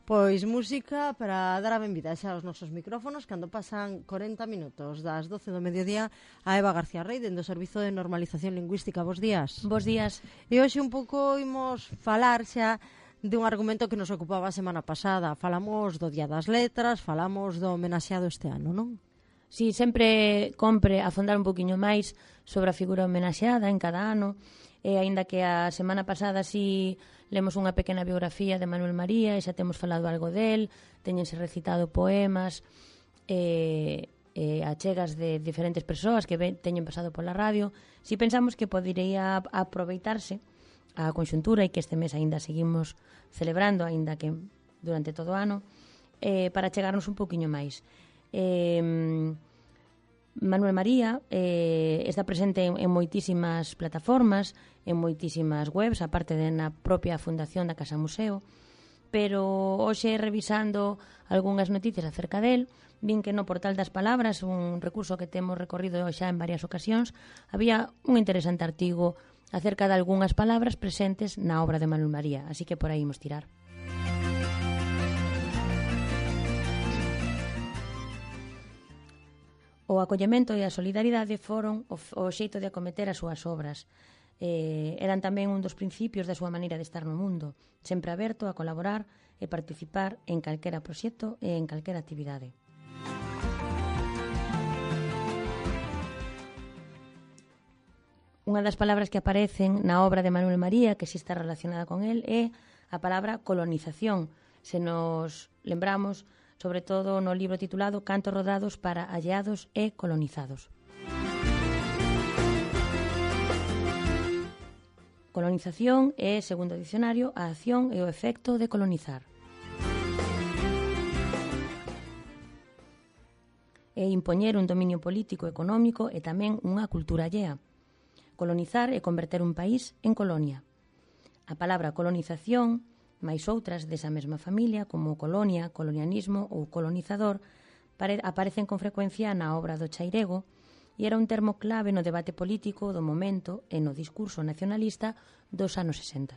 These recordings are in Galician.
Pois música para dar a benvida xa aos nosos micrófonos cando pasan 40 minutos das 12 do mediodía a Eva García Rey dentro do Servizo de Normalización Lingüística. Bos días. Bos días. E hoxe un pouco imos falar xa dun argumento que nos ocupaba a semana pasada. Falamos do Día das Letras, falamos do homenaxeado este ano, non? Si, sempre compre afondar un poquinho máis sobre a figura homenaxeada en cada ano, e aínda que a semana pasada si lemos unha pequena biografía de Manuel María e xa temos falado algo del, teñense recitado poemas achegas de diferentes persoas que teñen pasado pola radio, si pensamos que podería aproveitarse a conxuntura e que este mes aínda seguimos celebrando, aínda que durante todo o ano, para chegarnos un poquinho máis. Manuel María está presente en moitísimas plataformas, en moitísimas webs, aparte de na propia fundación da Casa Museo, pero hoxe revisando algunhas noticias acerca del, vin que no Portal das Palabras, un recurso que temos recorrido xa en varias ocasións, había un interesante artigo acerca de algunhas palabras presentes na obra de Manuel María, así que por aí imos tirar. O acollemento e a solidaridade foron o xeito de acometer as súas obras. Eran tamén un dos principios da súa maneira de estar no mundo, sempre aberto a colaborar e participar en calquera proxecto e en calquera actividade. Unha das palabras que aparecen na obra de Manuel María, que si está relacionada con el, é a palabra colonización. Se nos lembramos, sobre todo no libro titulado Cantos rodados para alleados e colonizados. Colonización é, segundo o dicionario, a acción e o efecto de colonizar. É impoñer un dominio político, económico e tamén unha cultura allea. Colonizar é converter un país en colonia. A palabra colonización, máis outras desa mesma familia, como colonia, colonialismo ou colonizador, aparecen con frecuencia na obra do Chairego e era un termo clave no debate político do momento e no discurso nacionalista dos anos 60.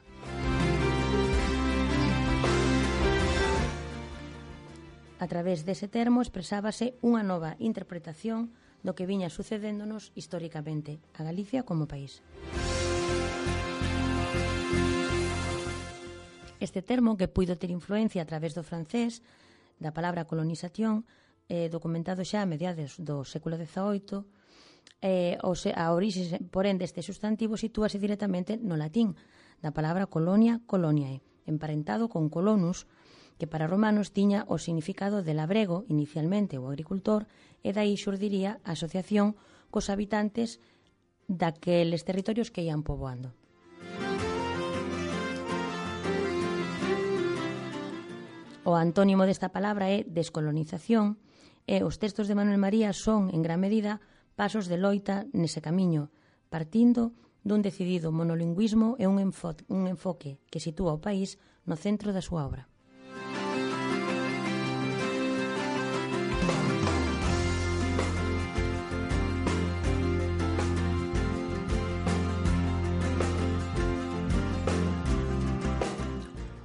A través dese termo expresábase unha nova interpretación do que viña sucedéndonos históricamente a Galicia como país. Este termo, que puido ter influencia a través do francés, da palabra colonización, documentado xa a mediados do século XVIII, a orixe, porén, deste sustantivo sitúase directamente no latín, da palabra colonia, coloniae, emparentado con colonus, que para romanos tiña o significado de labrego, inicialmente o agricultor, e dai xurdiría a asociación cos habitantes daqueles territorios que ian poboando. O antónimo desta palabra é descolonización e os textos de Manuel María son, en gran medida, pasos de loita nese camiño, partindo dun decidido monolingüismo e un enfoque que sitúa o país no centro da súa obra.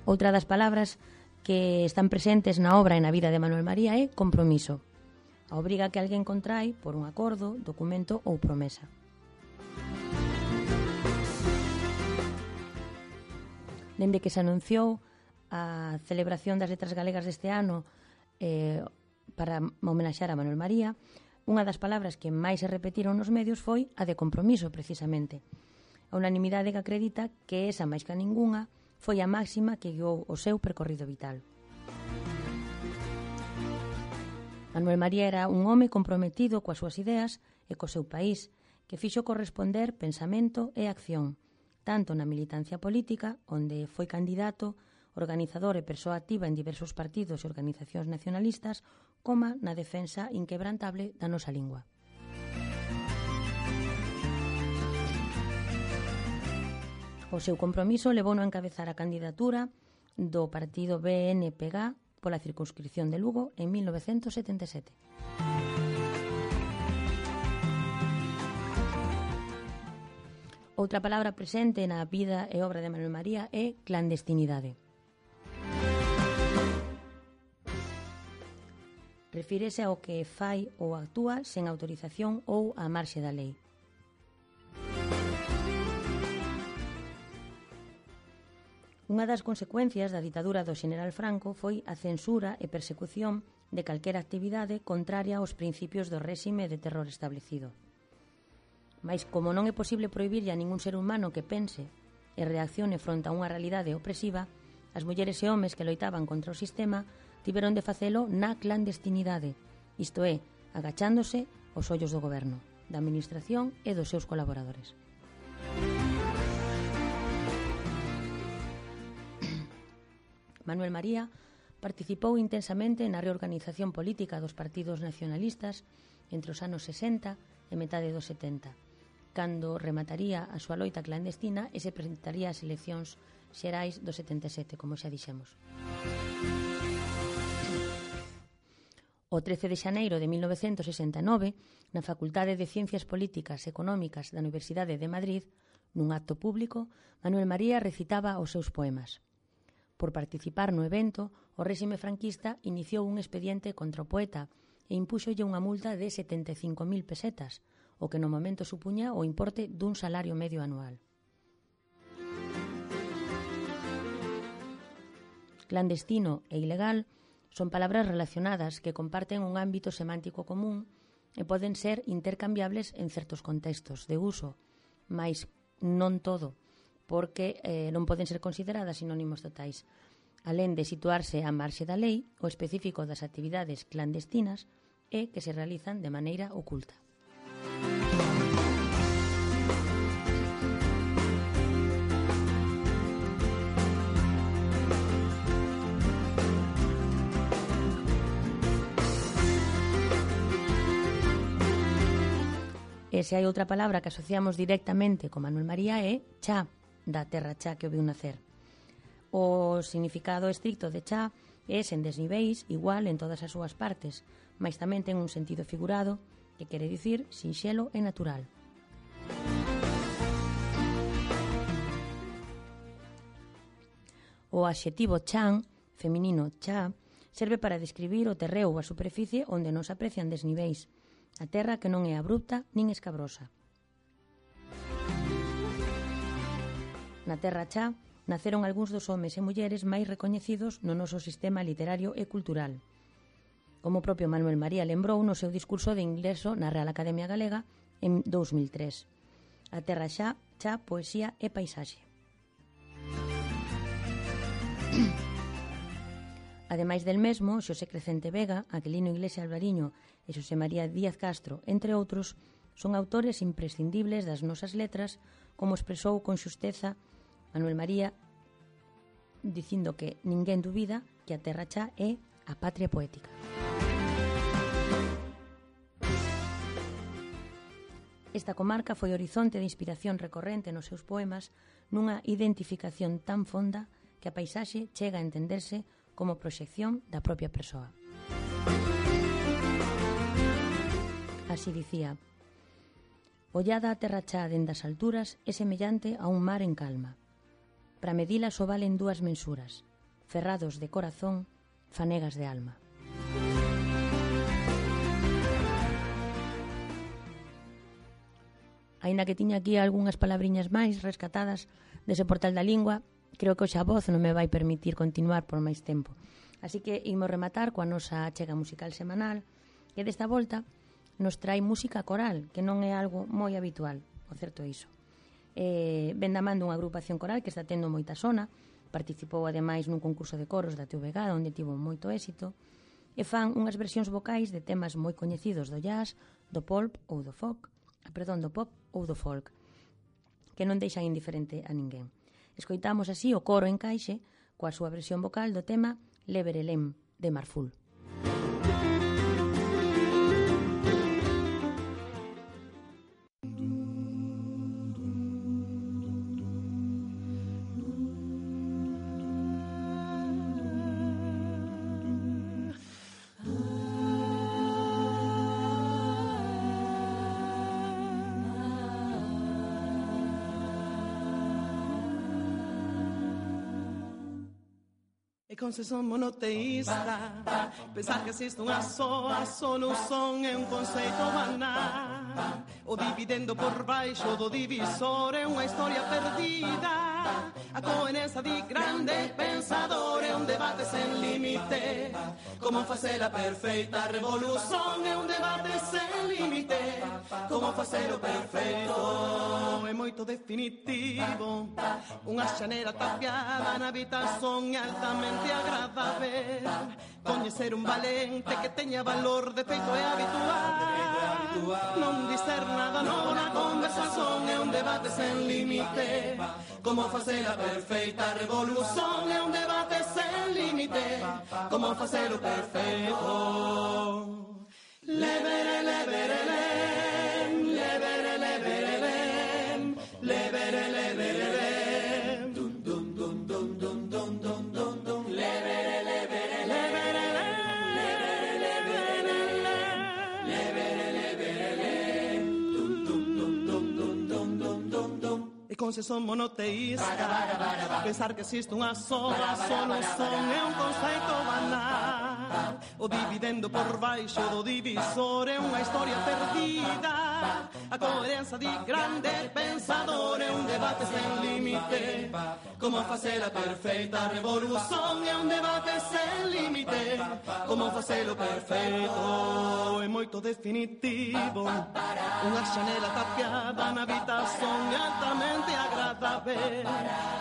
Outra das palabras que están presentes na obra e na vida de Manuel María é compromiso, a obriga que alguén contrai por un acordo, documento ou promesa. Dende que se anunciou a celebración das letras galegas deste ano para homenaxear a Manuel María, unha das palabras que máis se repetiron nos medios foi a de compromiso, precisamente. A unanimidade que acredita que esa máis que a ningunha foi a máxima que guiou o seu percorrido vital. Manuel María era un home comprometido coas súas ideas e co seu país, que fixo corresponder pensamento e acción, tanto na militancia política, onde foi candidato, organizador e persoa activa en diversos partidos e organizacións nacionalistas, como na defensa inquebrantable da nosa lingua. O seu compromiso levouno a encabezar a candidatura do partido BNPG pola circunscripción de Lugo en 1977. Outra palabra presente na vida e obra de Manuel María é clandestinidade. Refírese ao que fai ou actúa sen autorización ou á marxe da lei. Unha das consecuencias da ditadura do xeneral Franco foi a censura e persecución de calquera actividade contraria aos principios do réxime de terror establecido. Mais como non é posible prohibirlle a ningún ser humano que pense e reaccione fronte a unha realidade opresiva, as mulleres e homes que loitaban contra o sistema tiveron de facelo na clandestinidade, isto é, agachándose aos ollos do goberno, da administración e dos seus colaboradores. Manuel María participou intensamente na reorganización política dos partidos nacionalistas entre os anos 60 e metade dos 70, cando remataría a súa loita clandestina e se presentaría ás eleccións xerais do 77, como xa dixemos. O 13 de xaneiro de 1969, na Facultade de Ciencias Políticas e Económicas da Universidade de Madrid, nun acto público, Manuel María recitaba os seus poemas. Por participar no evento, o réxime franquista iniciou un expediente contra o poeta e impúxolle unha multa de 75.000 pesetas, o que no momento supuña o importe dun salario medio anual. Clandestino e ilegal son palabras relacionadas que comparten un ámbito semántico común e poden ser intercambiables en certos contextos de uso, mais non todo, porque non poden ser consideradas sinónimos totais. Alén de situarse á marxe da lei, o específico das actividades clandestinas é que se realizan de maneira oculta. E se hai outra palabra que asociamos directamente con Manuel María é cha, da terra cha que o viu nacer. O significado estricto de cha é sen desniveis, igual en todas as súas partes, mas tamén ten un sentido figurado que quere dicir sinxelo e natural. O adxetivo chan, feminino cha, serve para describir o terreo ou a superficie onde non se aprecian desniveis, a terra que non é abrupta nin escabrosa. Na terra cha naceron algúns dos homes e mulleres máis recoñecidos no noso sistema literario e cultural. Como o propio Manuel María lembrou no seu discurso de ingreso na Real Academia Galega en 2003. A terra xa, poesía e paisaxe. Ademais del mesmo, Xosé Crecente Vega, Aquilino Iglesia Alvariño e Xosé María Díaz Castro, entre outros, son autores imprescindibles das nosas letras, como expresou con xusteza Manuel María, dicindo que ninguén dubida que a terra xa é a patria poética. Esta comarca foi horizonte de inspiración recorrente nos seus poemas, nunha identificación tan fonda que a paisaxe chega a entenderse como proxección da propia persoa. Así dicía: ollada a terra cha dende as alturas é semellante a un mar en calma. Para medila só valen dúas mensuras, ferrados de corazón, fanegas de alma. Aínda que tiña aquí algunhas palabriñas máis rescatadas dese portal da lingua, creo que hoxe a voz non me vai permitir continuar por máis tempo. Así que imos rematar coa nosa achega musical semanal, que desta volta nos trai música coral, que non é algo moi habitual, o certo é iso. Ven da man dunha agrupación coral que está tendo moita sona, participou ademais nun concurso de coros da TVG, onde tivo moito éxito, e fan unhas versións vocais de temas moi coñecidos do jazz, do pop ou do folk, que non deixan indiferente a ninguén. Escoitamos así o coro en caixe coa súa versión vocal do tema Leverelem de Marful. E con se son monoteísta, pensar que existe unha soa solución é un conceito banal. O dividendo por baixo do divisor é unha historia perdida. A coherencia di grande pensador é un debate sen límite. Como facer a perfeita revolución é un debate sen límite. Como facer o perfeito é moito definitivo. Unha xanera tapiada na habitación é altamente agradável. Coñecer un valente que teña valor de feito é habitual. Non dicer nada novo na conversación é un debate sen límite. Como facer a perfeita revolución é un debate sen límite. Como facer o perfeito. Lebere, lebere, lem, lebere, lebere, lem, lebere, lebere, lem, dum, dum, dum, dum, dum, dum, dum, dum, dum, lebere, lebere, lebere, lebere, lebere, lebere, lebere, lem, dum, dum, dum, dum, dum, dum, dum, dum, dum. E con se son monoteísta, pensar que existe unha sola solución é un conceito banal. O dividendo por baixo do divisor é unha historia perdida. A coherencia di grande pensador é un debate sen límite. Como facer a perfeita revolución é un debate sen límite. Como facer o perfeito é moito definitivo. Unha xanela tapiada na habitación é altamente agradável.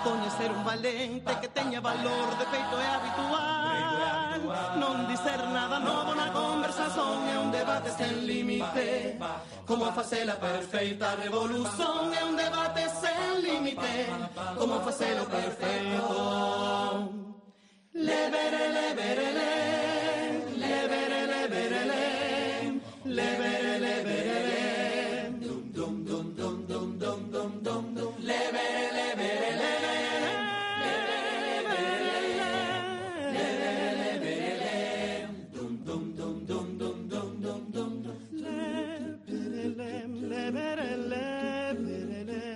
Coñecer un valente que teña valor de feito é habitual. Non dicer nada novo na conversación é un debate sen límite. Como facer a perfeita revolución é un debate sen límite. Como facer o perfeito. Lebere, lebere, lem, lebere, lebere, lem, lebere, lebere, lem, dum, dum, dum, dum, dum, dum, dum, dum, dum, lebere, lebere, lem, lebere, lebere, lem, lebere, lebere, lem, dum, dum, dum, dum, dum, dum, dum, dum, dum, lebere, lem, lebere, lebere, lem,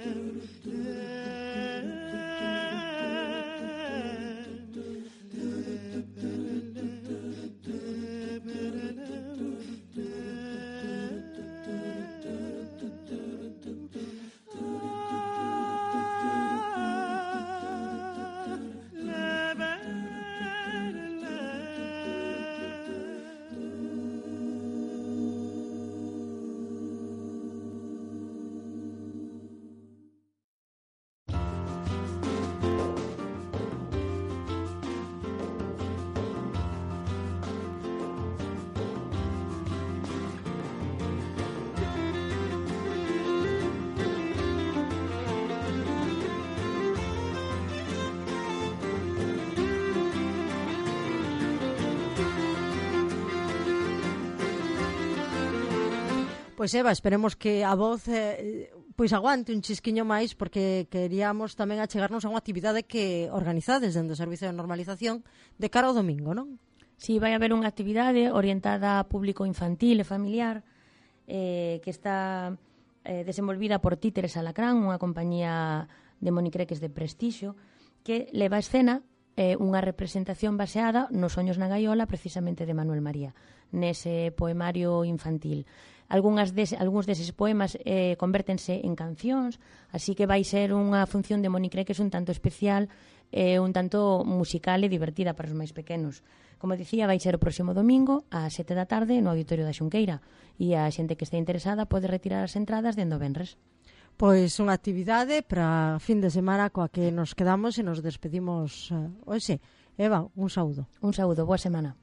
Pois Eva, esperemos que a voz pois aguante un chisquiño máis, porque queríamos tamén achegarnos a unha actividade que organizades dentro do Servizo de Normalización de cara ao domingo, non? Si, vai haber unha actividade orientada a público infantil e familiar que está desenvolvida por Títeres Alacrán, unha compañía de monicreques de prestixio, que leva a escena unha representación baseada nos Soños na gaiola, precisamente de Manuel María, nese poemario infantil. Algúns deses poemas convértense en cancións, así que vai ser unha función de monicreques un tanto especial, un tanto musical e divertida para os máis pequenos. Como dicía, vai ser o próximo domingo ás 7 da tarde no Auditorio da Xunqueira, e a xente que este interesada pode retirar as entradas dende o venres. Pois unha actividade para fin de semana coa que nos quedamos e nos despedimos hoxe. Eva, un saúdo. Un saúdo, boa semana.